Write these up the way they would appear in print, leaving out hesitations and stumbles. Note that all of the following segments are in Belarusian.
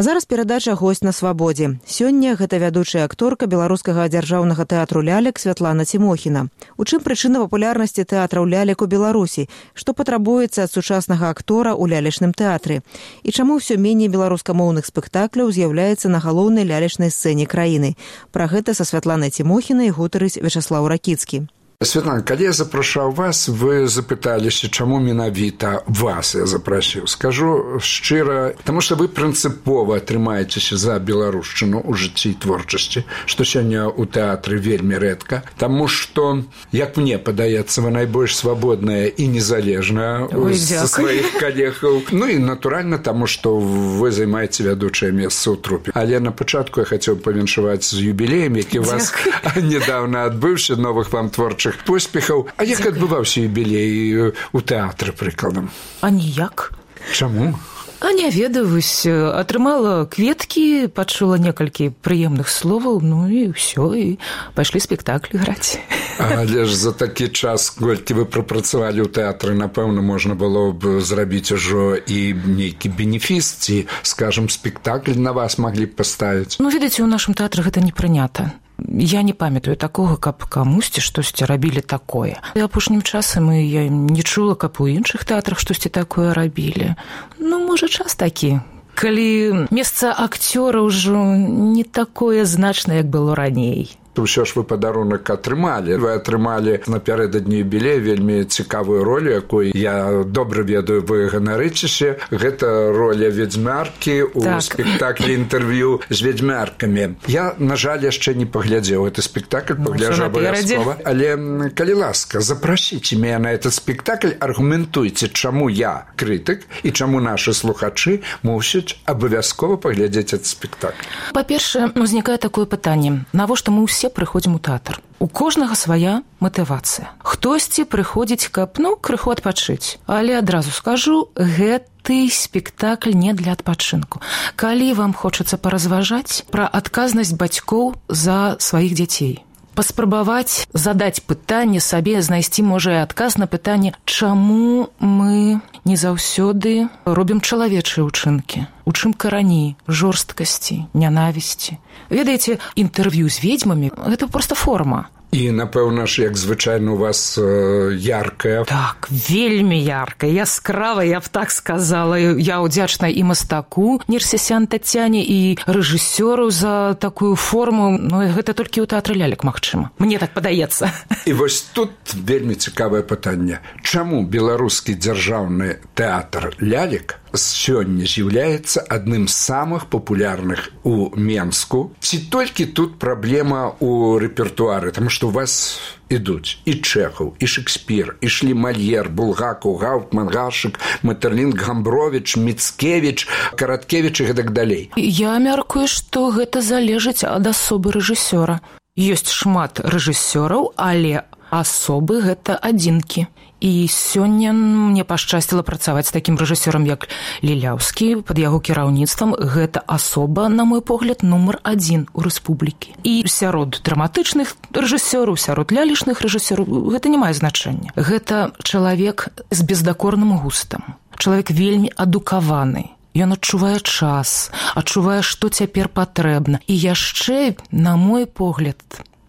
А зараз перадача «Госць на свабодзе». Сёння гэта вядучая акторка Беларускага дзяржаўнага тэатру лялек Святлана Цімохіна. У чым прычына папулярнасці тэатраў лялек у Беларусі? Што патрабуецца ад сучаснага актора ў лялечным тэатры? І чаму ўсё меней беларускамоўных спектакляў з'яўляецца на галоўнай лялечнай сцэне краіны? Пра гэта са Святланай Цімохінай гутарыць Вячаслаў Ракіцкі. Святлана, калі я запрашаў вас, вы запыталіся, чаму менавіта вас я запрасіў. Скажу шчыра, таму што вы прынцыпова трымаецеся за беларушчыну ў жыцці і творчасці, што сёння ў тэатры вельмі рэдка, таму што, як мне падаецца, вы найбольш свабодная і незалежная са сваіх калегаў. Ну і натуральна, таму што вы займаеце вядучае месца ў трупе. Але на пачатку я хацеў павіншаваць з юбілеем, які вас нядаўна адбыўся, новых вам творчых поспехаў. А як адбываўся юбілей у тэатры, прыкладам? А ніяк. Чаму? А не ведаюсь. Атрымала кветкі, пачула некалькі прыемных словаў, ну і ўсё, і пайшлі спектаклі граць. Але ж за такі час, колькі вы прапрацавалі ў тэатры, напэўна, можна было б зрабіць ужо і нейкі бенефіс, ці, скажам, спектакль на вас маглі б паставіць. Ну, ведаеце, у нашым тэатры гэта не прынята. Я не памятаю такога, каб камусьці штосьці рабілі такое. І апошнім часам я не чула, каб у іншых тэатрах штосьці такое рабілі. Ну, можа, час такі. Калі месца акцёра ўжо не такое значнае, як было раней. Усё ж вы падарунак атрымалі. Вы атрымалі напярэдадні юбілея вельмі цікавую ролю, якой я добра ведаю, вы ганарыцеся. Гэта роля ведзьмаркі ў спектаклі інтэрв'ю з ведзьмаркамі. Я, на жаль, яшчэ не паглядзеў гэты спектакль, пагляджу абавязкова. Але, калі ласка, запрасіце мяне на этот спектакль, аргументуйце, чаму я крытык і чаму нашы слухачы мусяць абавязкова паглядзець этот спектакль. Па-першае, узнікае такое пытанне. Навошта мы ўсе прыходзім у тэатр? У кожнага свая матывацыя. Хтосьці прыходзіць, каб, крыху адпачыць. Але адразу скажу, гэты спектакль не для адпачынку. Калі вам хочацца паразважаць пра адказнасць бацькоў за сваіх дзяцей, паспрабаваць задаць пытанне сабе, знайсці, можа, і адказ на пытанне, чаму мы не заўсёды робім чалавечыя ўчынкі? У чым карані жорсткасці, нянавісці? Ведаеце, інтэрв'ю з ведзьмамі – гэта проста форма. І, напэўна ж, як звычайна у вас яркая. Так, вельмі яркая, яскравая, я б так сказала. Я ўдзячна і мастаку Нерсесян Тацяне, і рэжысёру за такую форму. Ну, гэта толькі ў тэатры лялек магчыма. Мне так падаецца. І вось тут вельмі цікавае пытанне. Чаму беларускі дзяржаўны тэатр лялек сёння з'яўляецца адным з самых папулярных у Менску? Ці толькі тут праблема ў рэпертуары? Таму што у вас ідуць і Чэхаў, і Шекспір, ішлі Мальер, Булгакаў, Гауптман, Гашык, Метерлінг, Гамбровіч, Міцкевіч, Караткевіч і гэтак далей. Я мяркую, што гэта залежыць ад асобы рэжысёра. Ёсць шмат рэжысёраў, але асобы гэта адзінкі. І сёння мне пашчасціла працаваць з такім рэжысёрам, як Ліляўскі, пад яго кіраўніцтвам. Гэта асоба, на мой погляд, нумар 1 у рэспублікі. І сярод драматычных рэжысёраў, сярод лялечных рэжысёраў гэта не мае значэння. Гэта чалавек з бездакорным густам, чалавек вельмі адукаваны. Ён адчувае час, адчувае, што цяпер патрэбна. І яшчэ, на мой погляд,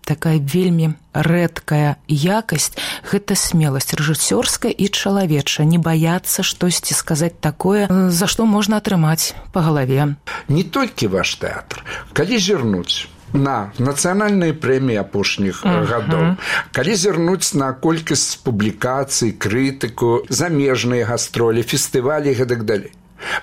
такая вельмі рэдкая якасць – гэта смеласць рэжысёрская і чалавечая. Не баяцца штосьці сказаць такое, за што можна атрымаць па галаве. Не толькі ваш тэатр. Калі зірнуць на нацыянальныя прэміі апошніх гадоў, калі зірнуць на колькасць публікацый, крытыку, замежныя гастролі, фестывалі і гэтак далей,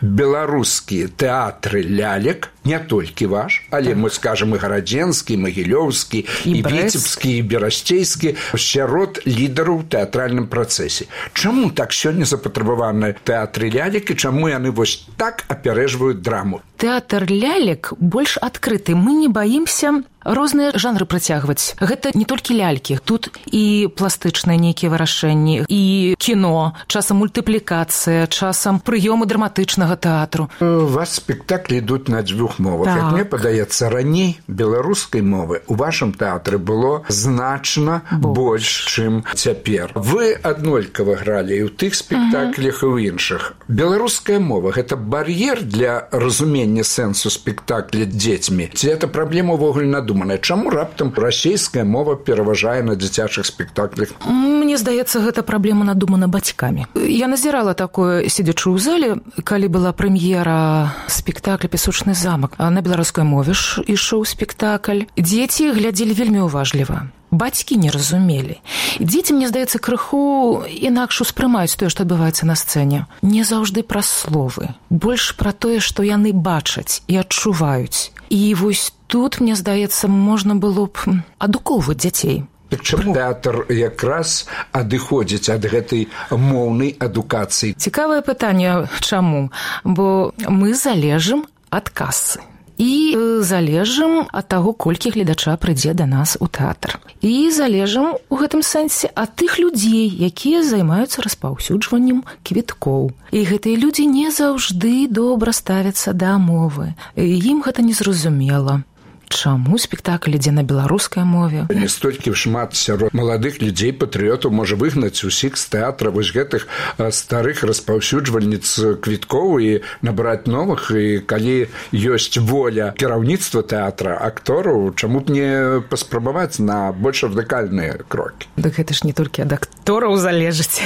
беларускія тэатры лялек, не толькі ваш, але мы скажам і гарадзенскі, і магілёўскі, і віцебскі, і берасцейскі, сярод лідараў у тэатральным працэсе. Чаму так сёння запатрабаваны тэатры лялек і чаму яны вось так апярэжваюць драму? Тэатр лялек больш адкрыты. Мы не баімся розныя жанры працягваць. Гэта не толькі лялькі, тут і пластычныя нейкія вырашэнні, і кіно, часам мультыплікацыя, часам прыёмы драматычнага тэатру. У вас спектаклі ідуць на дзвюх мовах. Так. Як мне падаецца, раней беларускай мовы ў вашым тэатры было значна больш, чым цяпер. Вы аднолькава гралі і ў тых спектаклях, і ў іншых. Беларуская мова – гэта бар'ер для разумення сэнсу спектакля дзецьмі? Ці гэта праблема ўвогуле надуманая? Чаму раптам расейская мова пераважае на дзіцячых спектаклях? Мне здаецца, гэта праблема надумана бацькамі. Я назірала такое, сидячы ў зале, калі была прэм'ера спектакля «Песочны замак». На беларускай мове ішоў спектакль. Дзеці глядзелі вельмі уважліва. Бацькі не разумелі. Дзеці, мне здаецца, крыху інакш успрымаюць тое, што адбываецца на сцэне. Не заўжды пра словы. Больш пра тое, што яны бачаць і адчуваюць. І вось тут, мне здаецца, можна было б адукоўваць дзяцей. Так чаму тэатр якраз адыходзіць ад гэтай моўнай адукацыі? Цікавае пытанне, чаму? Бо мы залежым ад касы. І залежым ад таго, колькі гледача прыйдзе да нас у тэатр. І залежым у гэтым сэнсе ад тых людзей, якія займаюцца распаўсюджваннем квіткоў. І гэтыя людзі не заўжды добра ставяцца да мовы. Ім гэта незразумела. Чаму спектакль ідзе на беларускай мове? Не столькі шмат сярод маладых людзей, патрыётаў можа выгнаць усіх з тэатра вось гэтых старых распаўсюджвальніц квіткоў і набраць новых. І калі ёсць воля кіраўніцтва тэатра, актораў, чаму б не паспрабаваць на больш радыкальныя крокі? Дык гэта ж не толькі ад актораў залежыць,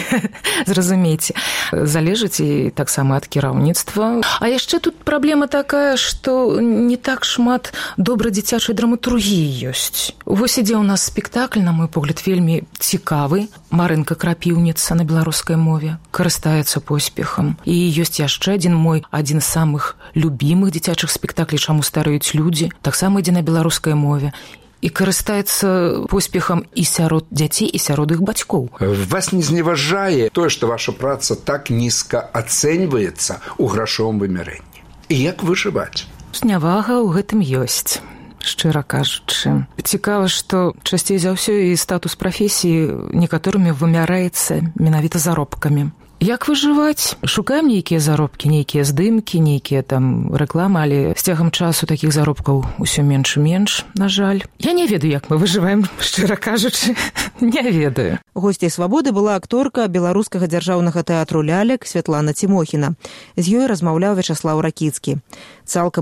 зразумейце. Залежыць і таксама ад кіраўніцтва. А яшчэ тут праблема такая, што не так шмат добрых дзіцячай драматургіі ёсць. Вось ідзе ў нас спектакль, на мой погляд, вельмі цікавы. Марынка Крапіўніца на беларускай мове карыстаецца поспехам. І ёсць яшчэ адзін з самых любімых дзіцячых спектаклей «Чаму стареюць людзі», таксама ідзе на беларускай мове. І карыстаецца поспехам і сярод дзяцей, і сярод іх бацькоў. Вас не зневажае тое, што ваша праца так нізка ацэньваецца ў грашовым вымярэнні? І як выжываць? Знявага ў гэтым ёсць. Шчыра кажучы. Цікава, што часцей за ўсё і статус прафесіі некаторымі вымяраецца менавіта заробкамі. Як выжываць? Шукаем нейкія заробкі, нейкія здымкі, нейкія там рэкламы, але з цягам часу такіх заробкаў усё менш і менш, на жаль. Я не ведаю, як мы выжываем, шчыра кажучы. Не ведаю. Госцяй «Свабоды» была акторка беларускага дзяржаўнага тэатру «Лялек» Святлана Цімохіна. З ёй размаўляў Вячаслаў Ракіцкі. Цалкам